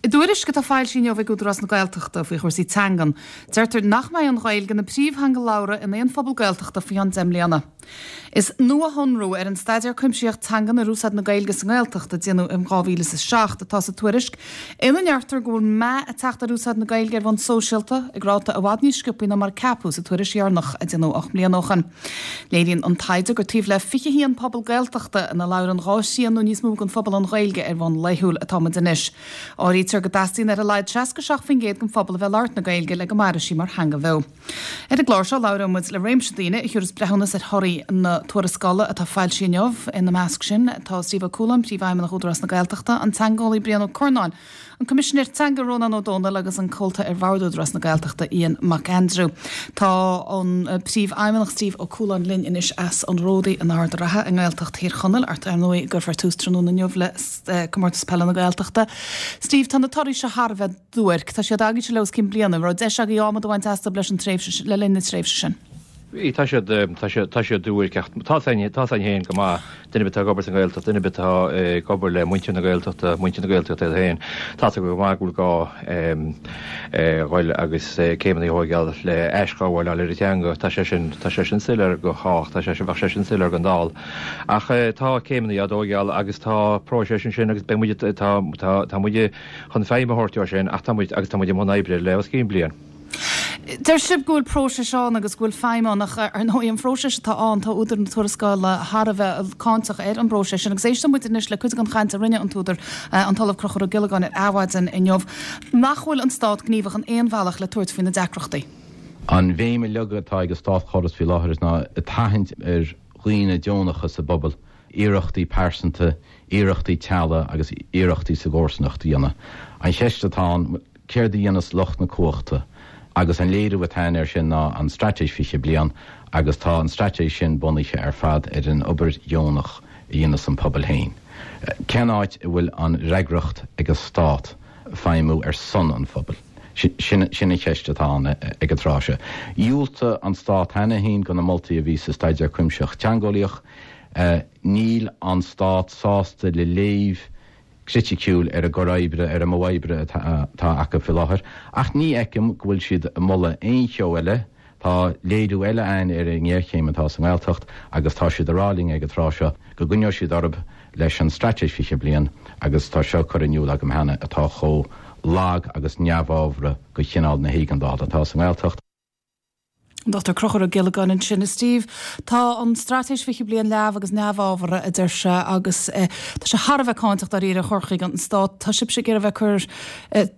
I dtuairisc atá foilsithe inniu ag Údarás na Gaeltachta faoi chúrsaí teangan, deirtear nach mbeidh an Ghaeilge ina príomhtheanga labhartha in aon phobal Gaeltachta faoi cheann 10 mbliana. Is nuashonrú ar an Staidéar Cuimsitheach Teangan ar Úsáid na Gaeilge sa nGaeltacht a déanadh in 2007 atá sa tuairisc, ina ndeirtear go bhfuil meath ag teacht ar úsáid na Gaeilge ar bhonn sóisialta, ag ráta i bhfad níos sciobthaí ná mar a ceapadh sa tuairisc dheireanach a déanadh 8 mbliana ó shin. Léiríonn an taighde gur taobh le 21 pobal Gaeltachta ina labhrann 2 thrian nó níos mó den phobal an Ghaeilge ar bhonn laethúil atá muid anois. Áirítear go dteastaíonn ar a laghad 67% den phobal a bheith ag labhairt na Gaeilge le go mairfidh sí mar theanga bheo. Ar an gclár seo labhróidh muid le réimse daoine a thiúrfas breithiúnas ar thorthaí na tuarascála atá foilsithe inniu. Ina measc sin tá Steve Ó Cualáin, Príomhfheidhmeannach Údarás na Gaeltachta, an teangeolaí Brian Ó Curnáin, An Coimisinéir Teanga Rónán Ó Domhnaill agus an Comhalta ar Bhord Údarás na Gaeltachta Ian Mac Aindriú. Tá an Príomhfheidhmeannach Steve Ó Cualáin linn anois as an Ródaí in Ard an Rátha i nGaeltacht Thír Chonaill, áit ar ndóigh a gcuirfear tús tráthnóna inniu le Comórtas Peile na Gaeltachta. Steve, tá na torthaí seo thar a bheith duairc. Tá siad agaibhse le os cionn bliana. An raibh deis agaibh adhmad a bhaint astu leis an tréimhse le linn na tréimhse sin? Bhí, tá siad, tá siad, tá siad duairc ach tá a fhios againn, tá a fhios againn féin go maith, duine ar bith atá ag obair sa nGaeltacht, duine ar bith atá ag obair le muintir na Gaeltachta, muintir na Gaeltachta iad féin, tá a fhios acu go maith go bhfuil gá dhul agus céimeanna a thóigeáil le aisghabháil a fháil ar an teanga. Tá sé sin, tá sé sin soiléir go chách, tá sé sin, bheadh sé sin soiléir don dall. Ach tá céimeanna á dtóigeáil agus tá próiseas ansin agus beidh muid, tá, tá, tá muid chun feidhm a thabhairt dó sin ach tá muid, agus tá muid i mbun oibre le os cionn bliain. Deir sibh go bhfuil próiseas ann agus go bhfuil feidhm ann ach ar ndóigh an phróiseas atá ann, tá údar na tuarascála thar a bheith cáinteach ar an bpróiseas sin agus éisteoidh muid anois le cuid den chaint a rinne an t-údar, an tOllamh Conchúr Ó Giollagáin ar Adhmhaidin inniu, nach bhfuil an Stát gníomhach in aon bhealach le tabhairt faoi na deacrachtaí. An bhéim uilig atá ag an státchóras faoi láthair ná ag tathant ar dhaoine deonacha sa bpobal iarrachtaí pearsanta, iarrachtaí teaghlaigh agus iarrachtaí sa gcomharsanacht a dhéanamh. An cheist atá ann, Céard a dhéanfas lucht na cumhachta? Agus an léiriú atá ann air sin ná an Straitéis 20 Bliain agus tá an straitéis sin bunaithe ar fad ar an obair dheonach a dhéanas an pobal féin. Cén áit a bhfuil an fhreagracht ag an stát feidhmiú ar son an phobail? Sin an cheist atá ann ag an tráth seo. Dhiúltaigh an stát cheana féin do na moltaí a bhí sa Staidéar Cuimsitheach Teangeolaíoch. Níl an stát sásta le léamh criticiúil ar an gcur oibre, ar an modh oibre atá acu faoi láthair, ach ní fheicim go bhfuil siad ag moladh aon cheo eile. Tá léiriú eile ann ar an ngéarchéim atá sa nGaeltacht agus tá siad ag rá linn ag an tráth seo go gcoinneoidh siad orthu leis an Straitéis 20 Bliain agus tá seo curtha in iúl agam cheana atá chomh lag agus neamhábhartha do chineál na héigeandála atá sa nGaeltacht. An Dr Conchúr Ó Giollagáin ansin. A Steve, tá an Straitéis 20 Bliain leamh agus neamhábhartha, a deir sé, agus tá sé thar a bheith cáinteach dáiríre chur chuige an Stáit. Tá sibhse ag iarraidh a bheith ag cur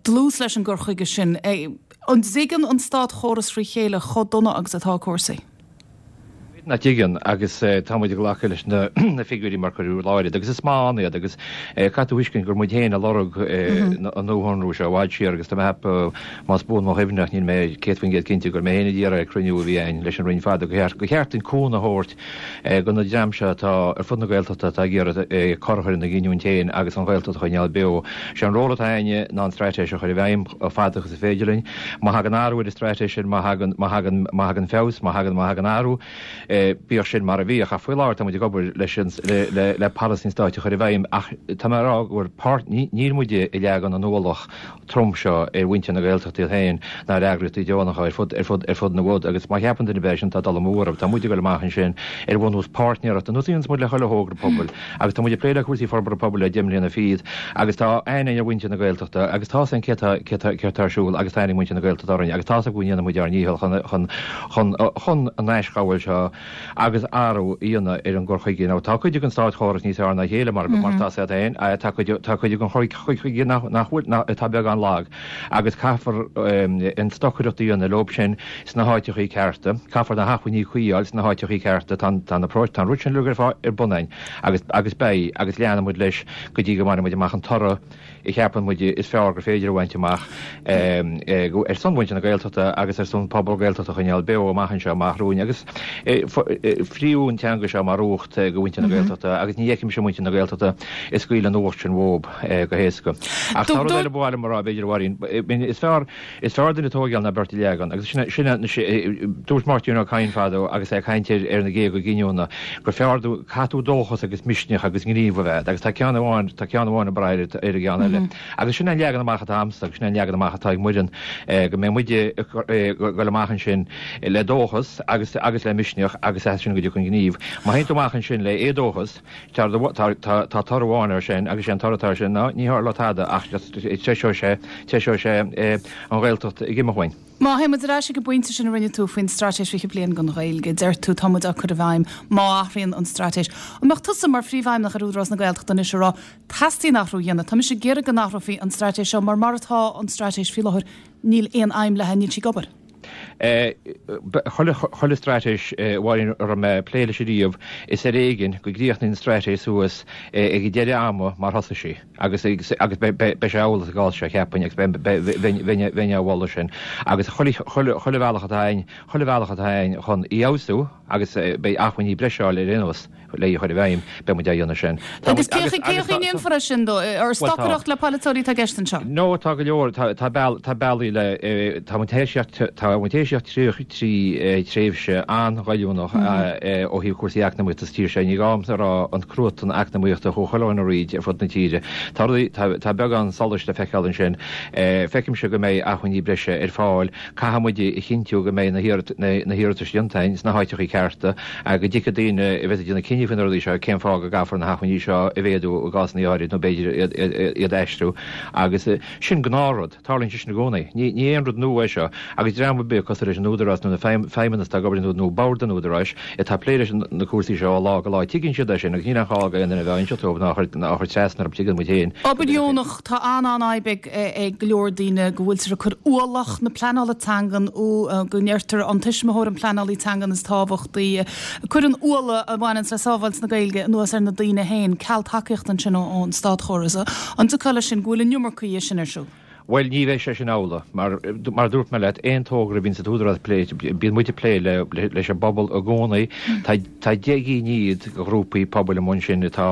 dlús leis an gcur chuige sin. An dtuigeann an státchóras fré chéile chomh dona agus atá cúrsaí? Nach dtuigeann, agus tá muid ag glacadh leis na figiúirí mar cuireadh i láthair iad, agus is maith ann iad, agus caithfidh tú a thuiscint gur muid féin a lorg an nuashonrú seo i bhfad siar, agus tá mé ag ceapadh, más buan mo chuimhne, ach níl mé 100% cinnte, gur mé féin a d'iarr ag cruinniú a bhí againn leis an Roinn fada, gur cheart dúinn cúnamh a thabhairt do na dream seo atá ar fud na Gaeltachta atá ag iarraidh cor a chur ina gcinniúint féin agus an Ghaeltacht a choinneáil beo. Sé an ról atá againne ná an straitéis a chur i bhfeidhm chomh fada agus is féidir linn. Má thagann athrú ar an straitéis sin, má thagann, má thagann, má thagann feabhas, má thagann, má thagann athrú, bíodh sin mar a bhíodh. Ach faoi láthair tá muid ag obair leis an, le, le, le polasaí an stáit a chur i bhfeidhm ach tá mé ag rá go bhfuil páirt, ní, níl muid ag leagan an ualach trom seo ar mhuintir na Gaeltachta iad féin ná ar eagraíochtaí deonacha ar fud, ar fud, ar fud na bhfud agus má cheapann duine ar bith é sin tá dul amú orthu. Tá muid ag dul amach ansin ar bhunús páirtnéireachta, ar nós a dhéanas muid le chuile thogra pobail agus tá muid ag plé le cúrsaí forbartha pobail le 10 mbliana fichead agus tá aithne ar mhuintir na Gaeltachta agus tá a fhios againn cé tá, cé tá, céard tá ar siúl agus tá aithne ag muintir na Gaeltachta orainn agus tá a fhios acu go ndéanann muid ár ndícheall chun, chun, chun, chun an aisghabháil seo agus athrú a dhéanamh ar an gcur chuige. Now tá cuid den státchóras níos fearr ná a chéile mar mar tá a fhios agat féin, tá cuid tá cuid den chur chuige nach nach bhfuil nach atá beagán lag agus caithfear an stocaireacht a dhéanamh leob sin sna háiteachaí cearta, caithfear na hacmhainní cuí a fháil sna háiteachaí cearta, tá an tá na tá an rud sin uilig ar fáil ar bun againn agus agus beidh agus leanfaidh muid leis go dtí go mbainfidh muid amach an toradh a cheapann muid is fearr gur féidir a bhaint amach ar son mhuintir na Gaeltachta agus ar son pobal Gaeltachta a choinneáil beo amach anseo amach romhainn agus. Fríodh an teanga seo mar uacht do mhuintir na Gaeltachta agus ní fheicimse muintir na Gaeltachta ag scaoileadh an uacht sin uathu go héasca. Ach tá rud eile ba mhaith liom a rá, b'fhéidir, a Mháirín, is fearr is fearr duine a thógáil ná beirt a leagan. Agus sin sin dúirt Máirtín Ó Cadhain fadó agus é ag caint ar ar na géaga giniúna gur fearr caithfidh tú dóchas agus misneach agus gníomh a bheith agus tá ceann amháin tá ceann amháin ag brath ar an gceann eile. Agus sin an leagan amach atá a'msa agus sin an leagan amach atá ag Muireann, go mbeidh muid ag dul amach ansin le dóchas agus agus le misneach agus as sin go dtiocfaidh an gníomh. Má théann tú amach ansin le éadóchas, tá tá toradh amháin air sin agus sé an toradh atá air sin ná ní tharlóidh tada ach treiseoidh sé treiseoidh sé an Ghaeltacht ag imeacht uainn. Má théann muid ar ais ag an bpointe sin a rinne tú faoin Straitéis 20 Bliain don Ghaeilge, deir tú tá muid á cur i bhfeidhm má athraíonn an straitéis. An mbeadh tusa mar phríomhfheidhmeannach ar Údarás na Gaeltachta anois ag rá teastaíonn athrú a dhéanamh, tá mise ag iarraidh go n-athrófaí an straitéis seo mar mar atá an straitéis faoi láthair níl aon fheidhm léi, níl sí ag obair? Chuile straitéis, a Mháirín, a raibh mé ag plé leis ariamh, is ar éigin go gcríochnaíonn an straitéis suas ag deireadh ama mar thosaigh sí. Agus agus beidh sé amhlaidh sa gcás seo, cheapfainn, agus bheinn á mholadh sin. Agus chuile chuile bhealach atá a'inn, chuile bhealach atá a'inn chun í a fheabhsú, agus beidh acmhainní breise á fháil ar aon nós le í a chur i bhfeidhm, beidh muid á dhéanamh sin. Agus cén chaoi a ndéanfar é sin, dó? Ar stocaireacht le polaiteoirí atá i gceist anseo? No, tá go leor, tá tá bealaí le, tá muid théis tá muid théis teacht trí tréimhse an-ghoilliúnach ó thaobh cúrsaí eacnamaíochta sa tír seo. Ní gá domsa a rá an cruatan eacnamaíochta a chuaigh chuile dhuine thríd ar fud na tíre. Tá rudaí, tá beagán solais le feiceáil ansin. Feicimse go mbeidh acmhainní breise ar fáil. Caithfidh muid a chinntiú go mbeidh na hiarratais déanta againn sna háiteachaí cearta, go dtuigfidh daoine a bheas ag déanamh cinní faoi na rudaí seo cén fáth go gcaithfear na hacmhainní seo a mhéadú i gcásanna áirid nó b'fhéidir iad a aistriú. Agus sin gnáthrud. Tarlaíonn sé sin i gcónaí. Ní aon rud nua é seo agus dream ar bith cosúil leis an Údarás nó na feidhmeannas atá ag obair nó bord an Údaráis atá ag plé leis na cúrsaí seo ó lá go lá, tuigeann siad é sin agus níl aon ghá do aon duine a bheith á inseacht dóibh ná á chur trasna orthu, tuigeann muid féin. Obair dheonach, Tá an-an-fhadhb ag go leor daoine go bhfuiltear ag cur ualach na pleanála teangan, go ndeirtear an tuismitheoir an pleanálaí teangan is tábhachtaí. Cuireann ualach a bhaineanns le sábháilt na Gaeilge anuas ar na daoine féin, ceal tacaíochta ansin ón státchóras. An dtiocfá leis sin, go bhfuil an iomarca dhe sin ar siúl? Bhuel, ní bheidh sé sin amhlaidh, mar, mar a dúirt mé leat, aon togra a bhíonn sa tÚdarás ag plé, bíonn muid ag plé le, leis an bpobal i gcónaí. Tá, tá 10 gcinn fhichead de ghrúpaí pobail amuigh ansin atá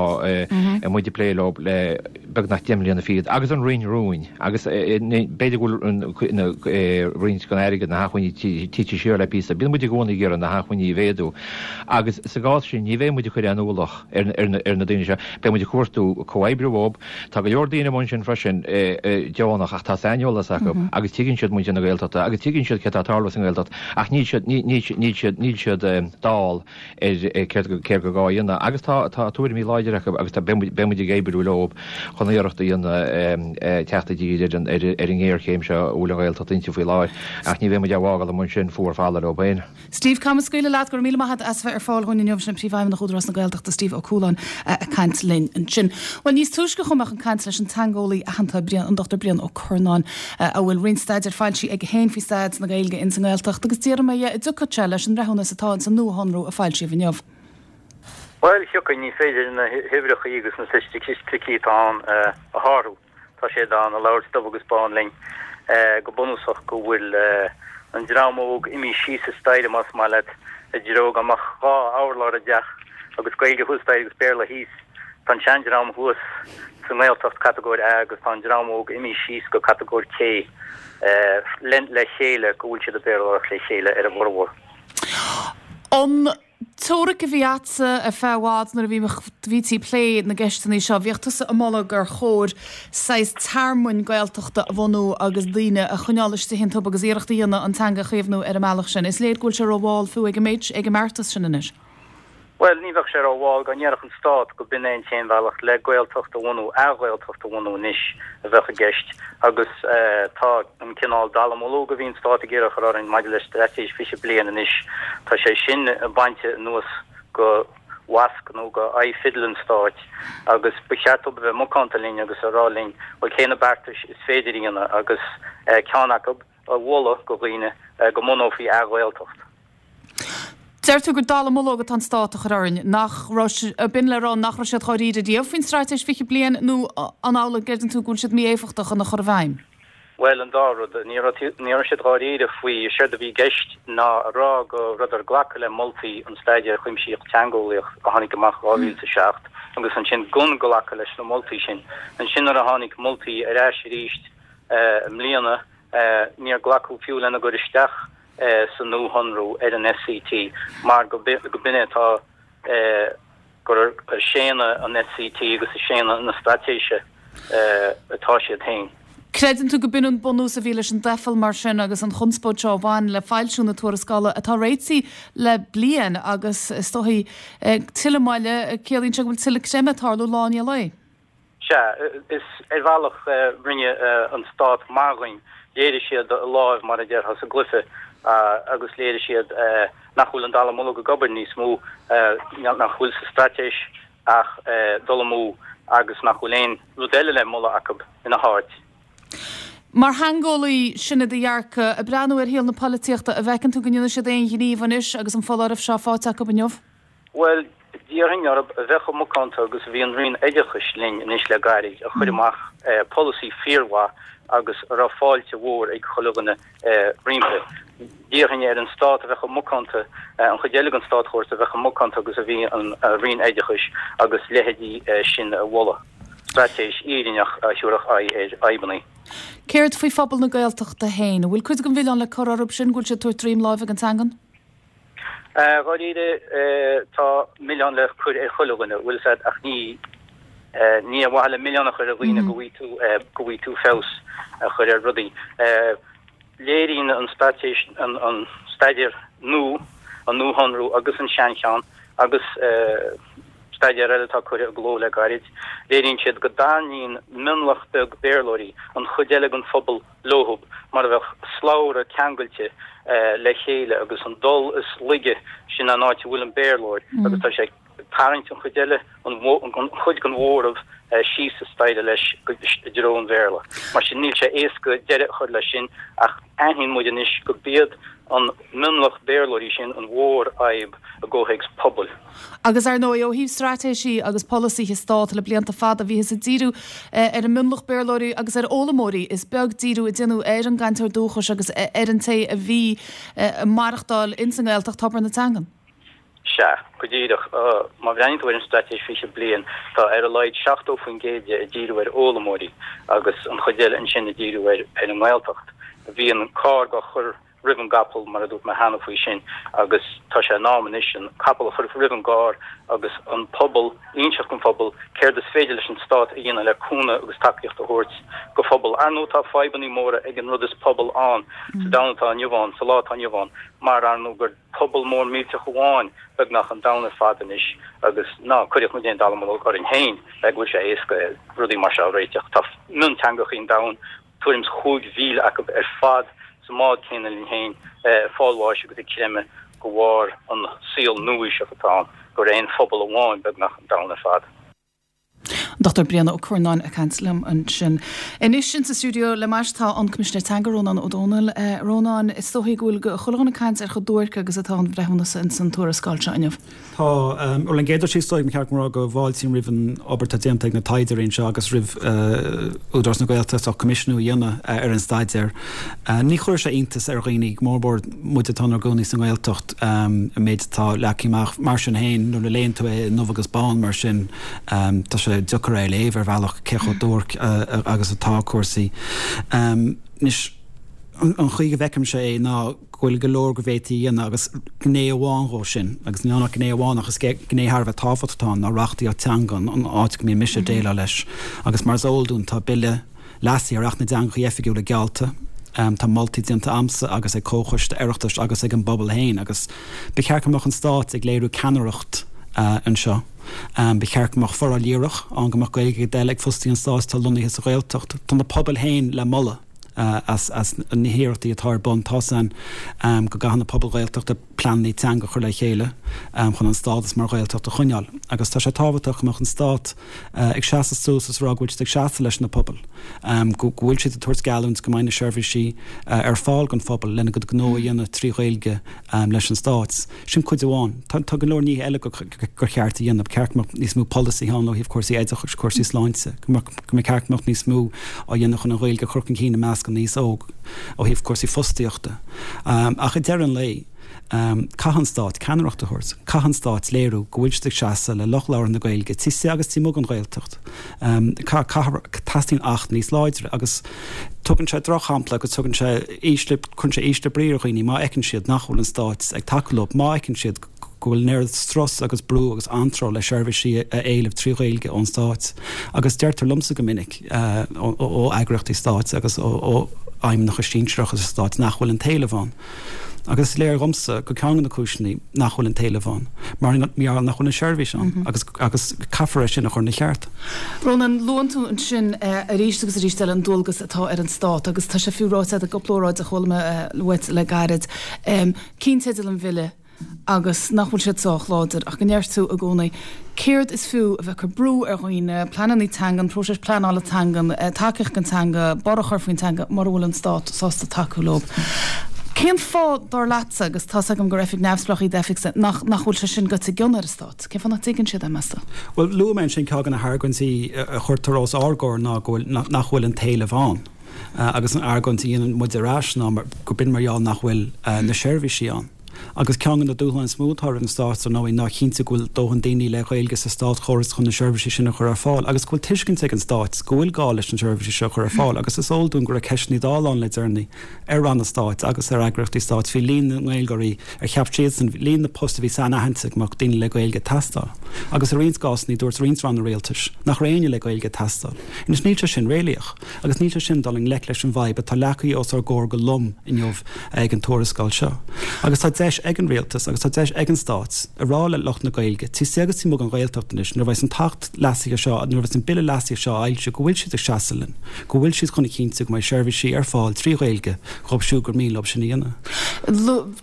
muid ag plé leo le beagnach 10 mbliana fichead, agus an Roinn rúin, agus b'fhéidir go bhfuil roinnt den airgead, na hacmhainní tite siar le píosa. Bíonn muid i gcónaí ag iarraidh na hacmhainní a mhéadú, agus sa gcás sin ní bheidh muid ag cur aon ualach ar na daoine seo, beidh muid ag cuartú comhoibriú leo. Tá go leor daoine amuigh ansin freisin deonach ach tá saineolas acu agus tuigeann siad muintir na Gaeltachta agus tuigeann siad céard atá ag tarlú sa nGaeltacht ach níl siad, níl siad, níl siad, níl siad dall ar céard céard gur gá a dhéanamh agus tá, tá tuairimí láidre acu agus tá, beidh muid, beidh muid ag oibriú leo chun iarracht a dhéanamh teacht i dtír ar an, ar an ngéarchéim seo a bhfuil an Ghaeltacht inti faoi láthair ach ní bheidh muid á bhfágáil amuigh ansin fuar folamh leo féin. Steve, caithfidh mé scaoileadh leat, go raibh míle maith agat as a bheith ar fáil dhúinn inniu, sin Príomhfheidhmeannach Údarás na Gaeltachta, Steve Ó Cualáin, ag caint linn ansin. Bhuel, níos túisce chuaigh mé chun caint leis an teangeolaí aitheanta, Brian, an Dr Brian Ó Curnáin, a bhfuil roinnt staidéir foilsithe aige féin faoi staid na Gaeilge ins an nGaeltacht, agus d'fhiafraigh mé dhe an dtiocfadh sé leis an mbreithiúnas atá ins an nuashonrú a foilsíodh inniu. Bhuel, thiocfainn, ní féidir na huimhreachaí agus na staitisticí atá ann a shárú. Tá siad ann ag labhairt dubh agus bán linn go bunúsach go bhfuil an dream óg imithe síos an staighre más maith leat i dtreo go mbeadh 2 urlár i dteach agus Gaeilge thuas staighre agus Béarla thíos. Tá an seandream thuas sa nGaeltacht catagóir A agus tá an dream óg imithe síos go catagóir C le chéile go bhfuil siad ag Béarlóireacht le chéile ar a bhformhór. An teoiric a bhí a'dsa ar feadh i bhfad nuair a bhí, bhítí ag plé na gceisteanna seo, bhíodh tusa ag moladh gur chóir saghas tearmainn Gaeltachta a bhunú agus daoine a choinneáil istigh iontu agus iarracht a dhéanamh an teanga a chaomhnú ar an mbealach sin. Is léir go bhfuil sé rómhall fiú ag an méid, ag an mbeartas sin anois. Bhuel, ní bheadh sé rómhall dá ndéarfadh an Stát go b'in é an t-aon bhealach le Gaeltacht a bhunú, ath-Ghaeltacht a bhunú anois a bheadh i gceist agus tá an cineál dallamullóg a bhí an Stát ag iarraidh a chur orainn maidir le Straitéis 20 Bliain anois, tá sé sin bainte anuas go mhasc nó go aghaidh fidil an Stáit agus ba cheart dóibh a bheith macánta linn agus a rá linn, bhuel cé na beartais is féidir a dhéanamh agus ceann acu a mholadh go dhaoine go mbunófaí ath-Ghaeltacht. Deir tú gur dallamullóg atá an stát a chur orainn, nach raibh, b'in le rá nach raibh siad dháiríre riamh faoin Straitéis 20 Bliain nó an amhlaidh a gcreideann tú go bhfuil siad mí-éifeachtach ina chur i bhfeidhm? Bhuel, an dá rud. Ní raibh, ní raibh siad dháiríre faoi. Séard a bhí i gceist ná a rá go rabhadar ag glacadh le moltaí an Staidéir Chuimsitheach Teangeolaíoch a tháinig amach 2007 agus ansin gan glacadh leis na moltaí sin. Ansin nuair a tháinig moltaí ar ais arís i mbliana, níor glacadh fiú lena gcur isteach sa nuashonrú ar an SCT mar go b'in é atá gur ag séanadh an SCT agus ag séanadh na straitéise atá siad féin. Creideann tú go b'in an bunús a bhí leis an doicheall mar sin agus an chonspóid seo a bhain le foilsiú na tuarascála atá réitithe le bliain agus is dóigh tuilleadh moille, ciallaíonn sé go bhfuil tuilleadh creimeadh ag tarlú lá i ndiaidh lae. Sea, is ar bhealach rinne an stát maith dhúinn. Léirigh siad a láimh, mar a déarfá, sa gcluiche agus léirigh siad nach bhfuil an dallamullóg ag obair níos mó, nach bhfuil sa straitéis ach dul amú agus nach bhfuil aon rud eile le moladh acu ina háit. Mar theangeolaí, sin é do dhearcadh. Ag breathnú ar shaol na polaitíochta, an bhfeiceann tú go ndéanfaidh siad aon ghníomh anois agus an foláireamh seo faighte acu inniu? Bhuel, d'iarrfainn orthu a bheith chomh macánta agus a bhí an Roinn Oideachais linn anois le gairid, a chuir amach polasaí fíormhaith agus a raibh fáilte mhór ag chuile dhuine roimpi. D'iarrfainn ar an Stát a bheith chomh macánta, an chuid eile den státchóras a bheith chomh macánta agus a bhí an Roinn Oideachais agus leithéidí sin a mholadh. Straitéis fhírinneach a thabharfadh aghaidh ar fhadhbanna. Céard faoi phobal na Gaeltachta féin? An bhfuil cuid den mhilleán le cur orthu sin go bhfuil siad ag tabhairt droim láimhe don teangain? Dháiríre, tá milleán le cur ar chuile dhuine, bhfuil 'fhios a'd, ach ní, ní ar mhaithe le milleán a chur ar dhaoine go bhfaighidh tú, go bhfaighidh tú feabhas a chur ar rudaí. Léiríonn an straitéis, an, an staidéar nua, an nuashonrú agus an seancheann agus staidéar eile atá curtha i gcló le gairid, léiríonn siad go dtarraingíonn mionlach beag Béarlóirí an chuid eile den phobal leothub, mar a bheadh slabhra ceangailte le chéile agus an dol is laige sin an áit a bhfuil an Béarlóir agus tá sé ag tarraingt an chuid eile, an chuid den mhóramh síos an staighre leis i dtreo an Bhéarla. Mar sin níl sé éasca deireadh a chur leis sin ach aithníonn muid anois go b'iad an mionlach Béarlóirí sin an mhórfhadhb i gcomhthéacs pobail. Agus ar ndóigh, ó thaobh straitéisí agus polasaithe stáit le blianta fada, bhíothas ag díriú ar an mionlach Béarlóirí agus ar fhoghlaimeoirí. Is beag díriú a déanadh ar an gcainteoir dúchais agus ar an té a bhí ag maireachtáil ins an nGaeltacht, tobar na teangan. Sea, go díreach. Má bhreathnaíonn tú ar an Straitéis 20 Bliain, tá ar a laghad 70% de ag díriú ar fhoghlaimeoirí agus an chuid eile ansin ag díriú ar an nGaeltacht. Bhí an carr á chur roimh an gcapall, mar a dúirt mé cheana faoi sin, agus tá sé in am anois an capall a chur roimh an gcarr agus an pobal, inseacht don phobal céard is féidir leis an stát a dhéanamh le cúnamh agus tacaíocht a thabhairt go phobal. Ar ndóigh tá fadhbannaí móra ag an rud is pobal ann sa domhan atá inniu ann, sa lá atá inniu ann, mar ar ndóigh gur pobal mór millteach amháin beagnach an domhan ar fad anois agus ná cuireadh muid aon dallamullóg orainn féin go bhfuil sé éasca rudaí mar seo a réiteach. Tá mionteangachaí an domhain tuairim is 5,000 acu ar fad sa mbád céanna linn féin, ag fáil bháis agus ag creimeadh de bharr an saol nua-aoiseach atá ann, gur aon phobal amháin beagnach an domhan ar fad. An Dr Brian Ó Curnáin ag caint liom ansin. Anois insa stiúideo le m'ais tá an Coimisinéir Teanga, Rónán Ó Domhnaill. Rónán, is dóichí go bhfuil chuile dhuine ag caint ar chomh duairc agus atá an bhreithiúnas insan tuarascáil seo inniu. Tá. Bhuel, an gcéad rud is dóigh, ba cheart dom a rá go bhfáiltím roimh an obair atá déanta ag na taighdeoirí anseo agus roimh Údarás na Gaeltachta as coimisiúnú a dhéanamh ar an staidéar. Ní chuirfidh sé iontas ar dhaoine, go mór mór muid atá inár gcónaí sa nGaeltacht, an méid atá leagtha amach. Mar sin féin, nuair a léann tú é i ndubh agus bán mar sin, tá sé deacair é a léamh ar bhealach cé chomh duairc agus atá cúrsaí. Anois, an chaoi go bhfeicimse é ná, go bhfuil go leor go bhféadfaí a dhéanamh agus gné amháin dhó sin, agus níl ann ach gné amháin ach is gné thar a bheith tábhachtach atá ann, ná reachtaíocht teanga, an áit go mbíonn mise ag déileáil leis. Agus mar is eol dúinn tá Bille leasaithe ar Acht na dTeangacha Oifigiúla geallta, tá moltaí déanta a'msa agus ag Comhchoiste Oireachtais agus ag an bpobal féin agus ba cheart go mbeadh an Stát ag léiriú ceannaireacht anseo. Ba cheart go mbeadh foráil dhíreach ann go mbeadh Gaeilge ag dul ag fostaithe an Stáit atá lonnaithe sa Ghaeltacht. Tá na pobail féin le moladh. as na hiarrachtaí atá ar bun. Tá's a'inn go gcaitheann na pobail Ghaeltachta. pleananna teanga a chur le chéile chun an stádas mar Ghaeltacht a choinneáil. Agus tá sé tábhachtach go mbeadh an Stát ag seasamh suas is a rá go bhfuil siad ag seasamh leis na pobail, go bhfuil siad ag tabhairt geallúint go mbeidh na seirbhísí ar fáil don phobal lena gcuid gnó a dhéanamh trí Ghaeilge leis an Stát. Sin cuid amháin. Tá go leor nithe eile gur cheart a dhéanamh. Ba cheart go mbeadh níos mó polasaithe ann ó thaobh cúrsaí oideachais, cúrsaí sláinte, go mbeadh ceart go mbeadh níos mó á dhéanamh chun an Ghaeilge a chur chun cinn i measc an aos óg ó thaobh cúrsaí fostaíochta. Ach ag deireadh an lae, caithfidh an Stát ceannaireacht a thabhairt. Caithfidh an Stát léiriú go bhfuil siad ag seasamh le lucht labhartha na Gaeilge taobh istigh agus taobh amuigh den Ghaeltacht. Teastaíonn Acht níos láidre agus tugann sé drochshampla agus tugann sé ísle, cuireann sé ísle brí ar dhaoine má fheiceann siad nach bhfuil an Stát ag tacú leo, má fheiceann siad go bhfuil an oiread strus agus brú agus anró le seirbhísí a éileamh trí Ghaeilge ón Stát. Agus deirtear liomsa go minic ó eagraíochtaí Stáit agus ó fheidhmeannacha sinsearacha sa Stát nach bhfuil an t-éileamh ann. Agus is léir dhomsa gur ceann de na cúiseanna nach bhfuil an t-éileamh ann, mar gheall nach bhfuil an seirbhís ann agus agus caithfear é sin a chur ina cheart. Rónán, luann tú ansin arís agus arís eile an dualgas atá ar an Stát agus tá sé fiú ráite agat i gcúpla óráid a chuala mé uait le gairid, cinnteidil an bhille agus nach bhfuil siad sách láidir ach go ndeir tú i gcónaí céard is fiú a bheith ag cur brú ar dhaoine, pleananna teangan, próiseas pleanála teangan, tacaíocht don teanga, borradh a chur faoin teanga mura bhfuil an Stát sásta tacú leo. Cén fáth, dar leatsa, agus tá's agam gur oifig neamhspleách í d'oifigse, nach nach bhfuil sé sin goite i gcion ar an Stát? Cén fáth nach dtuigeann siad é, meas tú? Bhuel, luaigh mé ansin ceann de na hargóintí a chuirtear os ár gcomhair ná go bhfuil, nach bhfuil an t-éileamh ann. Agus an argóint a dhéanann muid ar ais ná gurb in mar gheall nach bhfuil na seirbhísí ann. Agus ceann de na dúshláin is mó atá roimh an Stát, ar ndóigh, ná a chinntiú go bhfuil dóthain daoine le Gaeilge sa státchóras chun na seirbhísí sin a chur ar fáil agus go bhfuil tuiscint ag an Stát go bhfuil gá leis na seirbhísí seo a chur ar fáil. Agus is eol dúinn go raibh ceisteanna Dála ann le deireanaí ar ranna stáit agus ar eagraíochtaí stáit faoi líon na nGaeilgeoirí ar cheap siadsan, líon na bpost a bhí sainaithinte go mbeadh daoine le Gaeilge ag teastáil. Agus i roinnt gcásanna dúirt roinnt ranna rialtais nach raibh éinne le Gaeilge ag teastáil. Anois níl sé sin réalaíoch. Agus níl sé sin dul i ngleic leis an bhfadhb atá leagtha os ár gcomhair go lom inniu ag an tuarascáil seo. Agus tá deis ag an Rialtas agus tá deis ag an Stát a rá le lucht na Gaeilge, taobh istigh agus taobh amuigh den Ghaeltacht anois, nuair a bheas an tAcht leasaithe seo, nuair a bheas an Bille leasaithe seo á fhoilsiú, go bhfuil siad ag seasamh linn, go bhfuil siad chun a chinntiú go mbeidh seirbhísí ar fáil trí Ghaeilge dhóibh siúd gur mian leo sin a dhéanamh.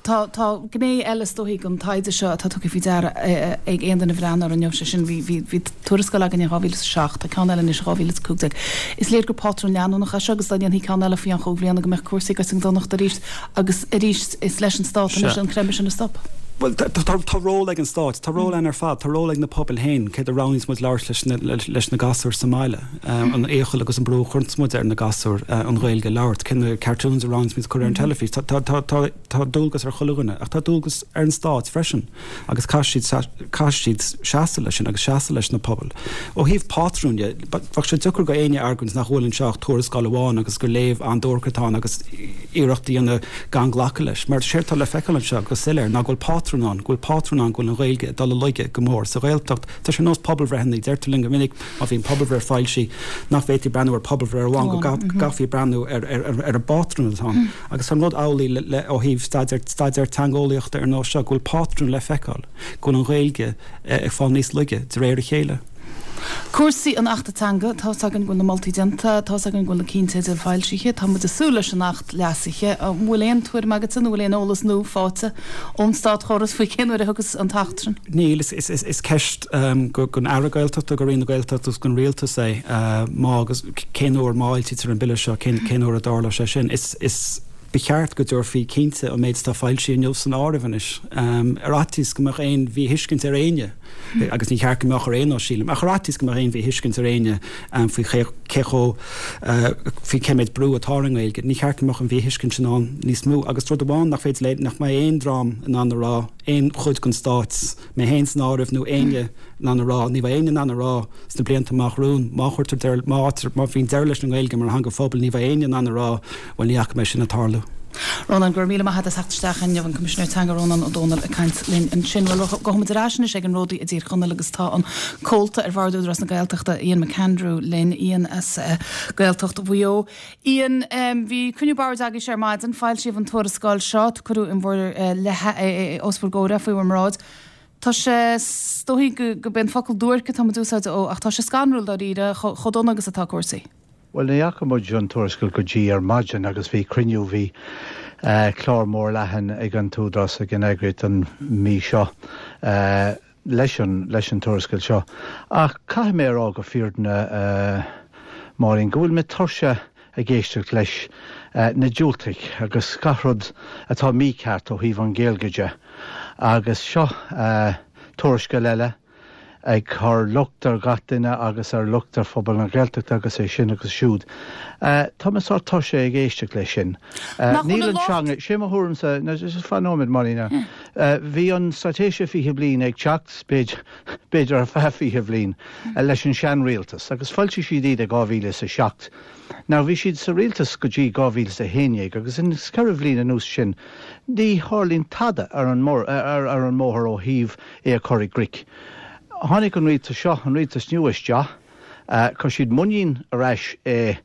Tá tá gné eile is dóichí den taighde seo atá tugtha faoi deara ag aon duine a bhreathnaigh air inniu, sé sin bhí bhí bhí tuarascáil againn in 2007, tá ceann eile anois in 2015. Is léir gur pátrún leanúnach é seo agus dá ndéanfaí ceann eile faoi cheann chúig bhliana go mbeadh cúrsaí ag goil chun donachta arís agus arís is leis an Stát anois an creimeadh sin a stop. Bhuel, tá ról ag an Stát, tá ról againn ar fad, tá ról ag na pobail féin, céard a roghnaíonns muid labhairt leis leis na gasúir sa mbaile, an iachall agus an brú a chuireanns muid ar na gasúir an Ghaeilge a labhairt, cé na cartoons a roghnaíonns muid a chur ar an teilifís. Tá Tá dualgas ar chuile dhuine, ach tá dualgas ar an Stát freisin agus caithfidh siad, caithfidh siad seasamh leis sin agus seasamh leis na pobail. Ó thaobh pátrúin de, bheadh sé deacair go éinne argóint nach bhfuil anseo ach tuarascáil amháin agus gur léamh an-duairc atá ann agus iarracht a dhéanamh gan glacadh leis. Mar séard atá le feiceáil anseo go soiléir ná go bhfuil pátrún ann, go bhfuil pátrún ann go bhfuil an Ghaeilge ag dul i laige go mór sa Ghaeltacht. Tá sé ar nós pobalbhreitheanna, deirtear linn go minic má bhíonn pobalbhreith foilsithe nach bhféadfaí breathnú ar pobalbhreith amháin, go gcaithfí breathnú ar an bpátrún atá ann. Agus tá an rud amhlaidh le ó thaobh staidéar, staidéar teangeolaíochta ar nós seo, go bhfuil pátrún le feiceáil, go bhfuil an Ghaeilge ag fáil níos laige de réir a chéile. Cúrsaí an Achta Teanga, tá's againn go bhfuil na moltaí déanta, tá's againn go bhfuil na cinnteidil foilsithe, tá muid ag súil leis an Acht leasaithe. An bhfuil aon tuairim agatsa nó bhfuil aon eolas nua faighte ón státchóras faoi cén uair a thiocfas an tAcht sin? Níl, is ceist don Aire Gaeltachta, do Roinn na Gaeltachta agus don Rialtas é má agus cén uair, má fhoilsítear an Bille seo, cén uair a dtarlóidh sé sin. Is ba cheart go dtabharfaí cinnte an méid atá foilsithe inniu san áireamh anois, ar fhaitíos go mbeadh aon mhíthuiscint ar éinne, agus ní cheart go mbeadh ar aon nós, sílim, ach ar fhaitíos go mbeadh aon mhíthuiscint ar éinne faoi cé chomh, faoi cé méid brú atá ar an nGaeilge, ní cheart go mbeadh an mhíthuiscint sin ann níos mó. Agus rud amháin nach féidir le, nach mbeidh aon dream in ann a rá, aon chuid den Stát, mé féin san áireamh, nó éinne in ann a rá, ní bheidh éinne in ann a rá sna blianta amach romhainn, má chuirtear deireadh, má, má bhíonn deireadh leis an nGaeilge mar theanga phobail, ní bheidh éinne in ann a rá, bhuel, ní fhaca mé sin ag tarlú. Rónán, Go raibh míle maith agat as theacht isteach inniu, an Coimisinéir Teanga Rónán Ó Domhnaill ag caint linn ansin. Bhuel, gabhfaidh muid ar ais anois ag an Ródaí i dTír Chonaill agus tá an comhalta ar Bhord Údarás na Gaeltachta, Ian McAndrew linn. Ian as Gaeltacht Mhaigh Eo. Ian, Bhí cruinniú boird agaibhse ar maidin, foilsíodh an tuarascáil seo, cuireadh in bhur leith, os bhur gcomhair é, faoi bhur mbráid. Tá sé, is dóichí go b'é an focal duairc atá muid a úsáid, ó, ach tá sé scanrúil dáiríre, chomh dona agus atá cúrsaí. Bhuel, ní fhaca muid an tuarascáil go dtí ar maidin agus bhí cruinniú, bhí. Clár mór leathan ag an tÚdarás, ag an eagraíocht an mhí seo leis an leis an tuarascáil seo. Ach caithfidh mé a rá go fírinne, a Mháirín, go bhfuil mé tuirseach ag éisteacht leis na diúltaigh agus gach rud atá mícheart ó thaobh an Ghaeilge de. Agus seo tuarascáil eile. ag cur locht ar gach duine agus ar locht ar phobal na Gaeltachta agus é sin agus siúd. Tá mé sórt tuirseach ag éisteacht leis sin. Nach bhfuil Níl an an locht. teanga, sé mo thuairimse, no, just fan nóiméad Máirín, bhí an Straitéis 20 Bliain ag teacht, b'fhéidir ar feadh 20 bhliain, leis an sean-rialtas agus foilsigh siad iad i 2007. Now bhí siad sa rialtas go dtí 2011 agus in 4 bhliain anuas sin ní tharlaíonn tada ar an ar an mbóthar ó thaobh é a chur i gcrích. Tháinig an rialtas seo, an rialtas nua isteach, chuir siad muinín ar ais i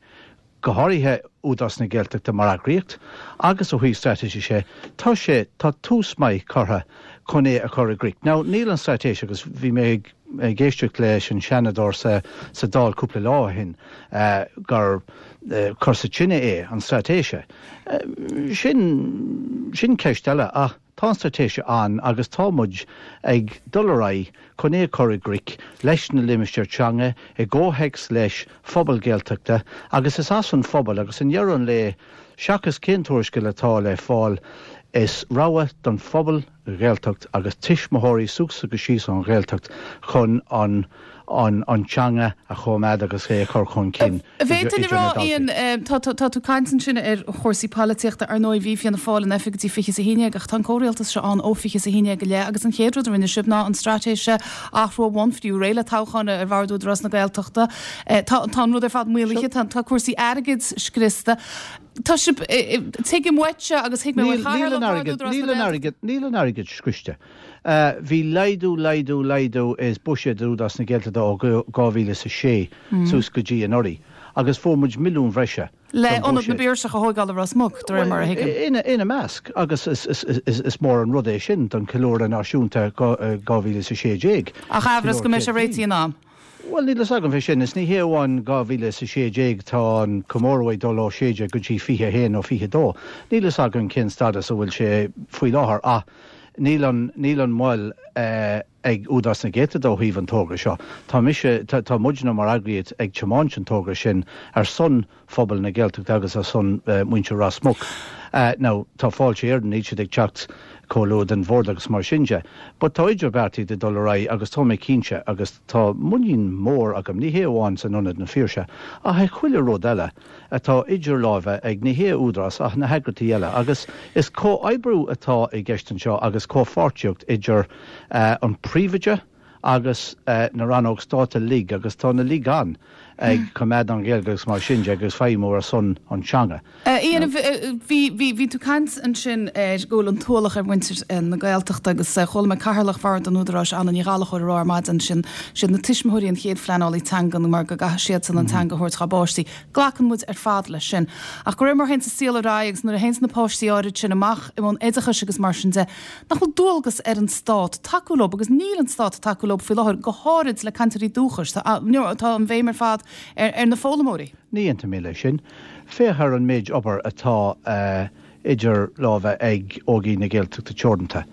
go háirithe Údarás na Gaeltachta mar eagraíocht agus ó thaobh straitéise sé, tá sé, tá tús maith curtha chun é a chur i gcrích. Now níl an straitéis agus bhí mé ag. ag éisteacht leis an Seanadóir sa Dáil cúpla lá ó shin gur cur sa tine é an straitéise. Sin, sin ceist eile ach tá an straitéise ann agus tá muid ag dul ar aghaidh chun é a chur i gcrích leis na limistéir teanga i gcomhthéacs leis phobal Gaeltachta agus is as an phobal agus i ndeireadh an lae seachas cén tuarascáil atá le fáil is rogha don phobal Ghaeltacht agus tuismitheoirí suas agus síos an Ghaeltacht chun an an an teanga a choimeád agus é a chur chun cinn Bhféadfainn idir a rá, na daltaí. Ian, tá tá tú ag caint ansin ar chúrsaí polaitíochta, ar ndóigh bhí Fianna Fáil in oifig go dtí 2011 ach tá an comhrialtas seo ann ó 2011 i leith agus an chéad rud a rinne sibh ná an straitéis a athrú ó bhonn, fiú réidh le toghchán ar bhord Údarás na Gaeltachta. Tá tá an rud ar fad maolaithe, tá tá cúrsaí airgid scriosta. Tá sibh, tuigim uaitse agus thuig mé Níl, uaidh níl Chathaoirleach an Bhord airgead, Údarás níl na an Gaeltachta. airgead, níl an airgead scriosta. Bhí laghdú, laghdú, laghdú i buiséad Údarás na Gaeltachta ó 2006 suas go dtí anuraidh agus fuair muid milliún bhreise Le don Ionad na bhuiséad. bPiarsach a thóigeáil i Ros Muc, de réir mar a Bhuel, thuigim. ina, ina measc, agus is, is, is, is mór an rud é sin don cheiliúradh náisiúnta 2016, Ach aimhreas ceiliúradh go mbeidh sé 100 réitithe bliain. in am. Bhuel, níl fhios agam fé sin. Is ní hé amháin 2016, tá an comóradh ag dul ó 16 go dtí 21 nó 22. Níl fhios agam cén stádas a bhfuil sé faoi láthair ach níl an, níl an mhoill ag Údarás na Gaeltachta ó thaobh an togra seo. Tá mise, tá muidne mar eagraíocht ag tiomáint an togra sin ar son phobal na Gaeltachta agus ar son muintir Ros Muc. Now, tá Fáilte Éireann, níl siad ag teacht chomh luath don bhord agus mar sin de. But tá idirbheartaíocht ag dul ar aghaidh agus tá mé cinnte agus tá muinín mór agam, ní hé amháin san Ionad na Phiarsaigh ach i chuile rud eile atá idir láimhe ag ní hé Údarás ach na heagraíochtaí eile agus is comhoibriú atá i gceist anseo agus comhpháirtíocht idir an príomhoide, agus na rannóg stáit uilig agus tá na uilig ann ag coimeád an Ghaeilge agus mar sin de agus feidhmiú ar son an teanga. Ian, bhí, bhí, bhí tú ag caint ansin ar go bhfuil an t-ualach ar mhuintir na Gaeltachta agus chuala mé Cathaoirleach Bhord an Údaráis, Anna Ní Ghallchóir, a rá ar maidin sin, siad na tuismitheoirí an chéad phleanálaí teanga mar go gcaithfidh siadsan an teanga a thabhairt dá bpáistí. Glacann muid ar fad leis sin. Ach de réir mar a théanns an saol ar aghaidh agus nuair a théanns na páistí áirid sin amach i mbun oideachais agus mar sin de, Nach bhfuil dualgas ar an stát tacú leo, agus níl an stát ag tacú leo faoi láthair, go háirid le cainteoirí dúchais. Tá tá an bhéim ar fad ar na foghlaimeoirí. Ní aontaím mé leis sin. Féach ar an méid obair atá idir lámha ag Ógaigh na Gaeltachta Teoranta,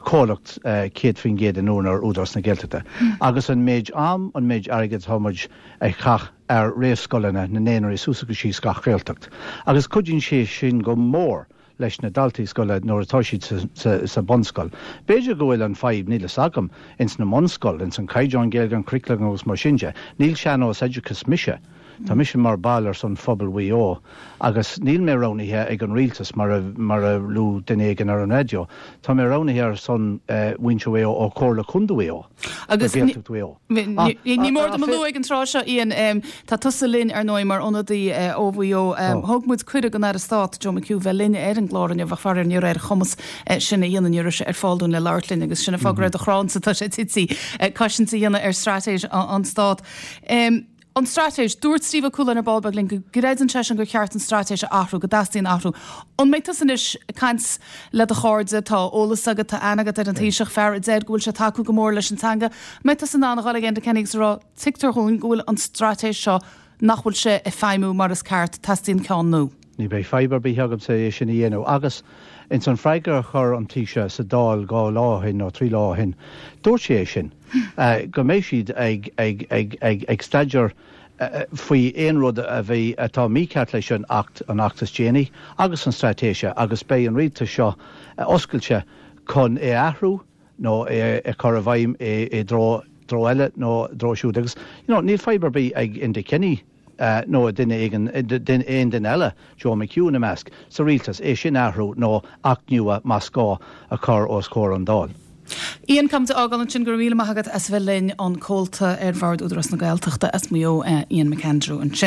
comhlacht 100% in úinéir Údarás na Gaeltachta, agus an méid am, an méid airgid atá muid a chaith ar réamhscoileanna na naíonraí suas agus síos gach Gaeltacht. Agus cuidíonn sé sin go mór leis na daltaí scoile nuair atá siad sa bunscoil. B'fhéidir go bhfuil an fadhb, níl fhios agam, ins na mbunscoil, ins an caighdeán Gaeilge, an curriculum agus mar sin de. Níl sean-nós oideachas mise. Tá mise mar ball ar son phobal Mhaigh Eo agus níl mé roghnaithe ag an rialtas mar a mar a luaigh duine éigin ar an raidió. Tá mé roghnaithe ar son mhuintir Mhaigh Eo ó Chomhairle Contae Mhaigh Eo. Agus Gaeltacht Mhaigh Eo. Ní mór dom a lua ag an tráth seo, Ian, tá tusa linn, ar ndóigh, mar ionadaí ó Mhaigh Eo. Thug muid cuireadh don Aire Stáit, Joe McHugh, bheith linn ar an gclár inniu ach faraor ní raibh ar a chumas sin a dhéanamh, ní raibh sé ar fáil dúinn le labhairt linn agus sin an fáth go raibh do chrannsa, tá sé tite, cosaint a dhéanamh ar straitéis an Stát. An straitéis, Dúirt Steve Ó Cualáin ar ball beag linn go gcreideann seisean gur cheart an straitéis a athrú, go dteastaíonn athrú. An mbeidh tusa anois ag caint le do chairde, tá eolas agat, tá aithne agat ar an Taoiseach, fear a deir go bhfuil sé ag tacú go mór leis an teanga, an mbeidh tusa in ann a dhul ag Enda Kenny agus a rá, tuigtear dhúinn go bhfuil an straitéis seo, nach bhfuil sé ag feidhmiú mar is ceart, teastaíonn ceann nua? Ní bheidh fadhb ar bith agamsa é sin a dhéanamh. Agus ins an freagra a chuir an Taoiseach sa Dáil 2 lá ó shin nó 3 lá ó shin, dúirt sé é sin, go mbeidh siad ag, ag, ag, ag, ag staidéar faoi aon rud a bhí, atá mícheart leis an Acht, an Acht is déanaí agus an Straitéise agus beidh an Rialtas seo oscailte chun é a athrú nó é a chur i bhfeidhm i dtreo, dtreo eile nó dtreo siúd. Agus, you know, níl fadhb ar bith ag Enda Kenny nó duine éigin, aon duine eile, Joe McHugh ina measc, sa rialtas, é sin a athrú nó Acht nua, más gá, a chur os comhair an Dáil. Ian, caithfimid a fhágáil ansin, go raibh míle maith agat as a bheith linn, an comhalta ar Bhord Údarás na Gaeltachta as Maigh Eo, Ian McAndrew ansin.